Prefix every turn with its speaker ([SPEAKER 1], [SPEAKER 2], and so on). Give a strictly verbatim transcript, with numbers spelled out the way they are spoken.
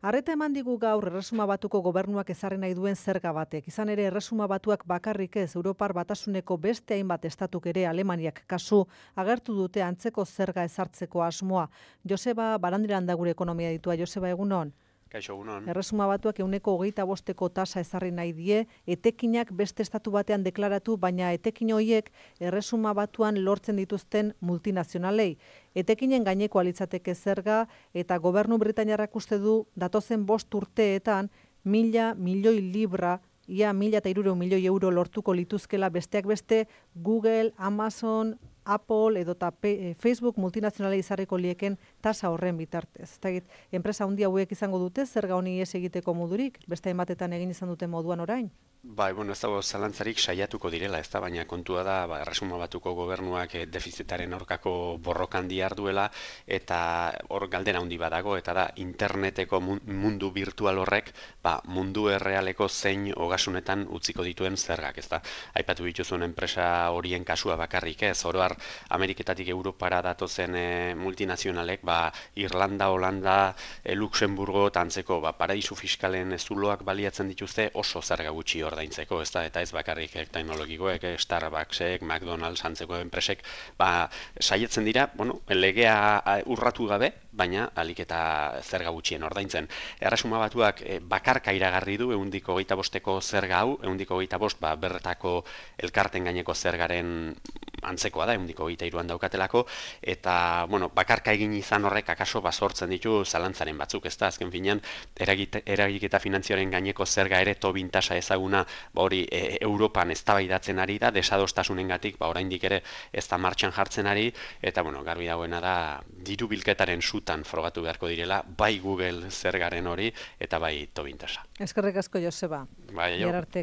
[SPEAKER 1] Arreta eman digu gaur Erresuma Batuko gobernuak ezarri nahi duen zerga batek. Izan ere Erresuma Batuak bakarrik ez, Europar Batasuneko beste hainbat estatuk ere Alemaniak kasu agertu dute antzeko zerga ezartzeko asmoa. Joseba Barandiran da gure ekonomia ditua. Joseba, egunon?
[SPEAKER 2] Kaixo, egunon.
[SPEAKER 1] Erresuma Batuak ehuneko hogeita bosteko tasa ezarri nahi die, etekinak beste estatu batean deklaratu, baina etekin horiek Erresuma Batuan lortzen dituzten multinazionalei. Etekinen gaineko alitzateke zerga eta gobernu britainiarrak uste du datozen bost urteetan mila milioi libra, ia mila eta hirurehun milioi euro lortuko lituzkela besteak beste Google, Amazon, Apple edota Facebook multinazionalei izarriko lieken tasa horren bitartez. Ezagik, enpresa handi hauek izango dute zerga honi ihes egiteko modurik, beste hainbatetan egin izan duten moduan orain?
[SPEAKER 2] Bai, bueno, ez dago zalantzarik saiatuko direla, ez da, baina kontua da, ba, Erresuma Batuko gobernuak eh, defizitaren aurkako borrokan diharduela, eta hor galdera handi badago, eta da, interneteko mundu virtual horrek, ba, mundu errealeko zein ogasunetan utziko dituen zergak, ez da. Aipatu dituzuen enpresa horien kasua bakarrik, ez, oro har, Ameriketatik Europara datozen e, multinazionalek, ba, Irlanda, Holanda, e, Luxemburgo, tantzeko, ba, paradisu fiskalen zuloak baliatzen dituzte oso zerga gutxi ordaintzeko, ez da, eta ez bakarrik eh, teknologikoek, eh, Starbucksek, McDonald's, antzeko enpresek, ba, saietzen dira, bueno, legea urratu gabe, baina alik eta zerga gutxien ordaintzen. Erresuma Batuak eh, bakarka iragarri du ehuneko hogeita bosteko zerga hau, ehuneko hogeita bost, ba, bertako elkarten gaineko zergaren antzekoa da, ehuneko hogeita hiruan daukatelako, eta, bueno, bakarka egin izan horrek akaso basortzen ditu zalantzaren batzuk, ez da, azken finean, eragiketa finantzioaren gaineko zerga ere Tobin tasa ezaguna, ba hori e, Europan eztabaidatzen ari da, desadostasunengatik, ba oraindik ere ez da martxan jartzen ari, eta bueno, garbi dagoena da diru bilketaren sutan frogatu beharko direla, bai Google zergaren hori eta bai Tobin tasa.
[SPEAKER 1] Eskerrik asko, Joseba.
[SPEAKER 2] Bai, jo.